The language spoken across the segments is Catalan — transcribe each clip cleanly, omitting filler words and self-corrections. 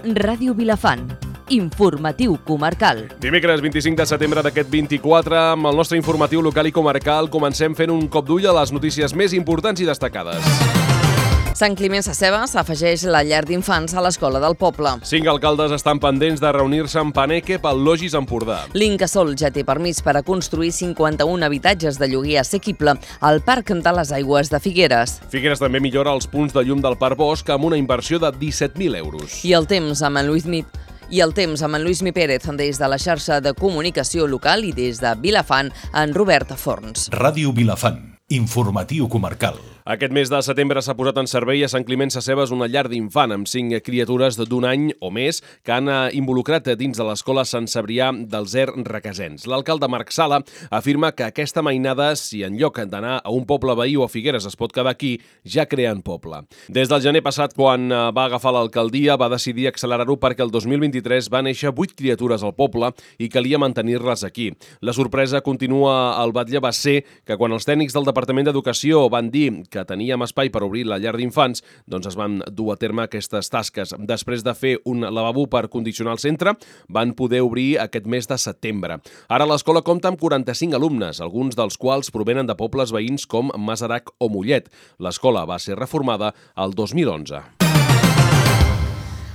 Ràdio Vilafant, informatiu comarcal. Dimecres 25 de setembre d'aquest 24, amb el nostre informatiu local i comarcal, comencem fent un cop d'ull a les notícies més importants i destacades. Sant Climent Sescebes afegeix la llar d'infants a l'escola del poble. 5 alcaldes estan pendents de reunir-se en Paneque pel Logis Empordà. L'Incasòl ja té permís per a construir 51 habitatges de lloguer assequible al Parc de les Aigües de Figueres. Figueres també millora els punts de llum del Parc Bosch amb una inversió de 17.000 euros. I el temps amb en Lluís Pérez des de la xarxa de comunicació local i des de Vilafant, en Robert Forns. Ràdio Vilafant, informatiu comarcal. Aquest mes de setembre s'ha posat en servei a Sant Climent Sescebes una llar d'infant amb 5 criatures d'un any o més que han involucrat dins de l'escola Sant Cebrià dels Requesens. L'alcalde Marc Sala afirma que aquesta mainada, si en lloc d'anar a un poble veí o a Figueres es pot quedar aquí, ja creen poble. Des del gener passat, quan va agafar l'alcaldia, va decidir accelerar-ho perquè el 2023 va néixer 8 criatures al poble i calia mantenir-les aquí. La sorpresa, continua el batlle, va ser que quan els tècnics del Departament d'Educació van dir que teníem espai per obrir la llar d'infants, doncs es van dur a terme aquestes tasques. Després de fer un lavabo per condicionar el centre, van poder obrir aquest mes de setembre. Ara l'escola compta amb 45 alumnes, alguns dels quals provenen de pobles veïns com Masarac o Mollet. L'escola va ser reformada el 2011.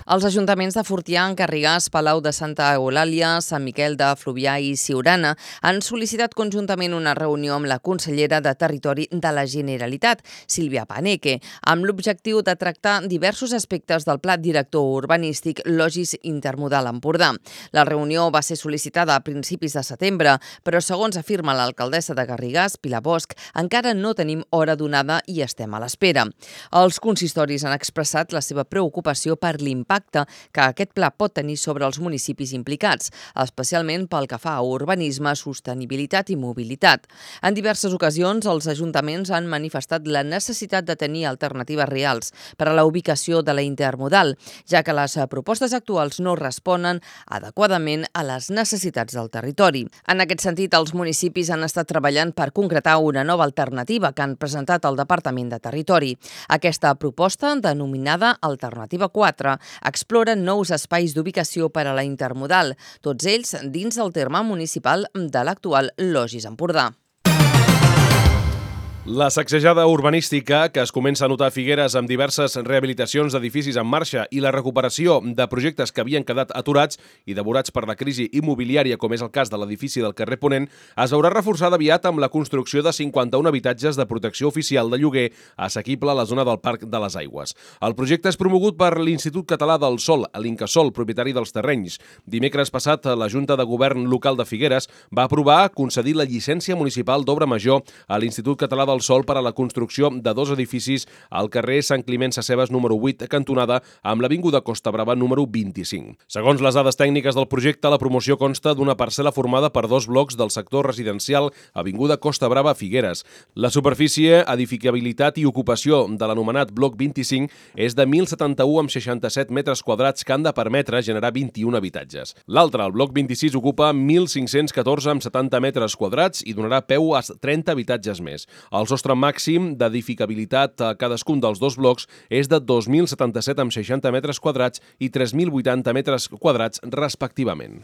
Els ajuntaments de Fortià, Garrigàs, Palau de Santa Eulàlia, Sant Miquel de Fluvià i Siurana han sol·licitat conjuntament una reunió amb la consellera de Territori de la Generalitat, Sílvia Paneque, amb l'objectiu de tractar diversos aspectes del Pla Director Urbanístic Logis Intermodal Empordà. La reunió va ser sol·licitada a principis de setembre, però segons afirma l'alcaldessa de Garrigàs, Pilar Bosch, encara no tenim hora donada i estem a l'espera. Els consistoris han expressat la seva preocupació per l'impacte que aquest pla pot tenir sobre els municipis implicats, especialment pel que fa a urbanisme, sostenibilitat i mobilitat. En diverses ocasions, els ajuntaments han manifestat la necessitat de tenir alternatives reals per a la ubicació de la intermodal, ja que les propostes actuals no responen adequadament a les necessitats del territori. En aquest sentit, els municipis han estat treballant per concretar una nova alternativa que han presentat al Departament de Territori. Aquesta proposta, denominada Alternativa 4, explora nous espais d'ubicació per a la intermodal, tots ells dins del terme municipal de l'actual Logis Empordà. La sacsejada urbanística que es comença a notar a Figueres amb diverses rehabilitacions d'edificis en marxa i la recuperació de projectes que havien quedat aturats i devorats per la crisi immobiliària, com és el cas de l'edifici del carrer Ponent, es veurà reforçada aviat amb la construcció de 51 habitatges de protecció oficial de lloguer assequible a la zona del Parc de les Aigües. El projecte és promogut per l'Institut Català del Sòl, l'Incasòl, propietari dels terrenys. Dimecres passat, la Junta de Govern local de Figueres va aprovar concedir la llicència municipal d'obra major a l'Institut Català del Sòl per a la construcció de 2 edificis al carrer Sant Climent Sescebes número 8, cantonada amb l'avinguda Costa Brava número 25. Segons les dades tècniques del projecte, la promoció consta d'una parcel·la formada per 2 blocs del sector residencial avinguda Costa Brava Figueres. La superfície, edificabilitat i ocupació de l'anomenat bloc 25 és de 1.071 amb 67 metres quadrats que han de permetre generar 21 habitatges. L'altre, el bloc 26, ocupa 1.514 amb 70 metres quadrats i donarà peu a 30 habitatges més. El sostre màxim d'edificabilitat a cadascun dels 2 blocs és de 2.077 amb 60 metres quadrats i 3.080 metres quadrats respectivament.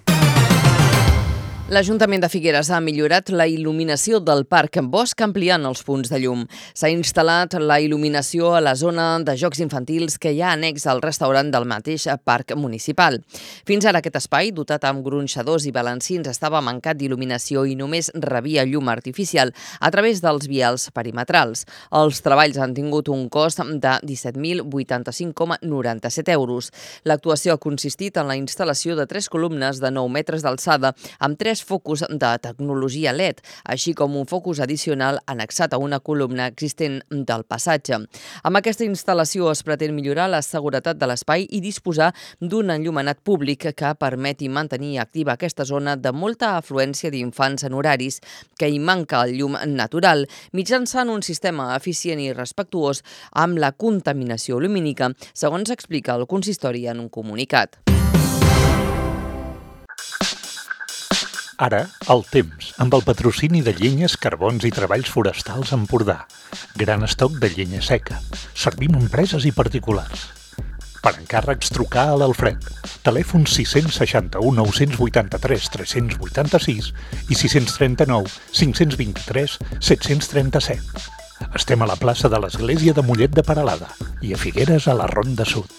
L'Ajuntament de Figueres ha millorat la il·luminació del Parc Bosch ampliant els punts de llum. S'ha instal·lat la il·luminació a la zona de jocs infantils que hi ha annex al restaurant del mateix parc municipal. Fins ara aquest espai, dotat amb gronxadors i balancins, estava mancat d'il·luminació i només rebia llum artificial a través dels vials perimetrals. Els treballs han tingut un cost de 17.085,97 euros. L'actuació ha consistit en la instal·lació de 3 columnes de 9 metres d'alçada amb 3 focus de tecnologia LED, així com un focus addicional annexat a una columna existent del passatge. Amb aquesta instal·lació es pretén millorar la seguretat de l'espai i disposar d'un enllumenat públic que permeti mantenir activa aquesta zona de molta afluència d'infants en horaris que hi manca el llum natural, mitjançant un sistema eficient i respectuós amb la contaminació lumínica, segons explica el consistori en un comunicat. Ara, el temps, amb el patrocini de Llenyes, Carbons i Treballs Forestals Empordà. Gran estoc de llenya seca. Servim a empreses i particulars. Per encàrrecs, trucar a l'Alfred. Telèfon 661 983 386 i 639 523 737. Estem a la plaça de l'Església de Mollet de Peralada i a Figueres a la Ronda Sud.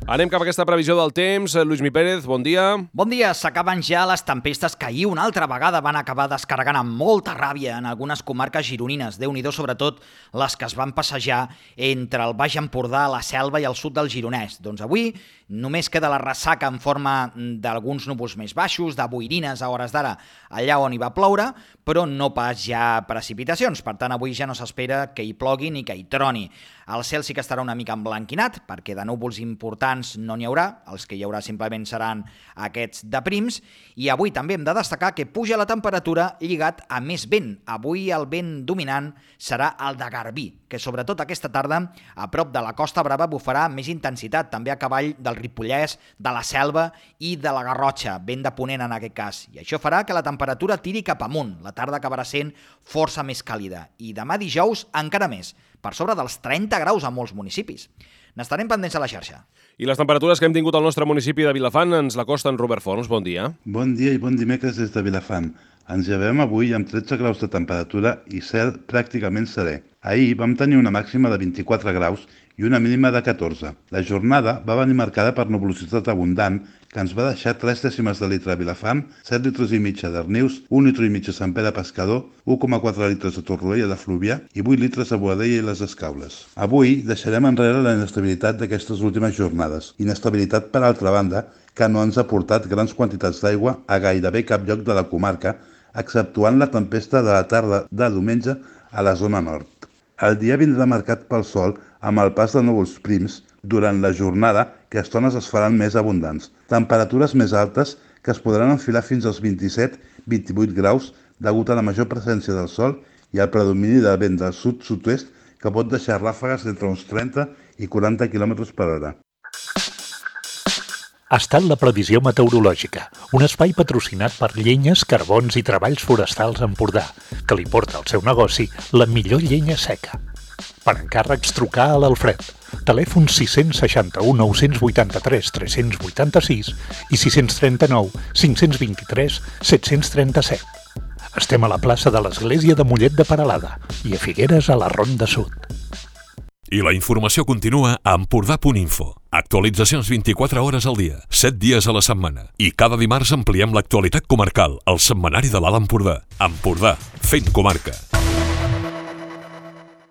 Anem cap a aquesta previsió del temps. Lluís Pérez, bon dia. Bon dia. S'acaben ja les tempestes que ahir una altra vegada van acabar descarregant amb molta ràbia en algunes comarques gironines. Déu-n'hi-do, sobretot les que es van passejar entre el Baix Empordà, la Selva i el sud del Gironès. Doncs avui només queda la ressaca en forma d'alguns núvols més baixos, de boirines a hores d'ara allà on hi va ploure, però no pas ja precipitacions. Per tant, avui ja no s'espera que hi plogui ni que hi troni. El cel sí que estarà una mica emblanquinat, perquè de núvols importants no n'hi haurà, els que hi haurà simplement seran aquests de prims, i avui també hem de destacar que puja la temperatura lligat a més vent. Avui el vent dominant serà el de Garbí, que sobretot aquesta tarda a prop de la Costa Brava bufarà amb més intensitat, també a cavall del Ripollès, de la Selva i de la Garrotxa, vent de ponent en aquest cas. I això farà que la temperatura tiri cap amunt. La tarda acabarà sent força més càlida. I demà dijous encara més, per sobre dels 30 graus a molts municipis. N'estarem pendents a la xarxa. I les temperatures que hem tingut al nostre municipi de Vilafant ens l'acosten Robert Forns. Bon dia. Bon dia i bon dimecres des de Vilafant. Ens llevem avui amb 13 graus de temperatura i cel pràcticament serè. Ahir vam tenir una màxima de 24 graus i una mínima de 14. La jornada va venir marcada per nuvolositat abundant que ens va deixar 3 dècimes de litre a Vilafant, 7 litres i mig a Darnius, 1 litre i mig a Sant Pere Pescador, 1,4 litres a Torroella de Fluvià i 8 litres a Boadella i les Escaules. Avui deixarem enrere la inestabilitat d'aquestes últimes jornades. Inestabilitat, per altra banda, que no ens ha portat grans quantitats d'aigua a gairebé cap lloc de la comarca, exceptuant la tempesta de la tarda de diumenge a la zona nord. El dia vindrà marcat pel sol amb el pas de núvols prims durant la jornada, que a estones es faran més abundants. Temperatures més altes que es podran enfilar fins als 27-28 graus degut a la major presència del sol i al predomini del vent del sud-sud-oest que pot deixar ràfegues d'entre uns 30 i 40 km per hora. Ha estat la previsió meteorològica, un espai patrocinat per Llenyes, Carbons i Treballs Forestals Empordà, que li porta al seu negoci la millor llenya seca. Per encàrrecs, trucar a l'Alfred. Telèfon 661 983 386 i 639 523 737. Estem a la plaça de l'Església de Mollet de Peralada i a Figueres a la Ronda Sud. I la informació continua a Empordà.info. Actualitzacions 24 hores al dia, 7 dies a la setmana. I cada dimarts ampliem l'actualitat comarcal, al setmanari de l'Alt Empordà. Empordà, fent comarca.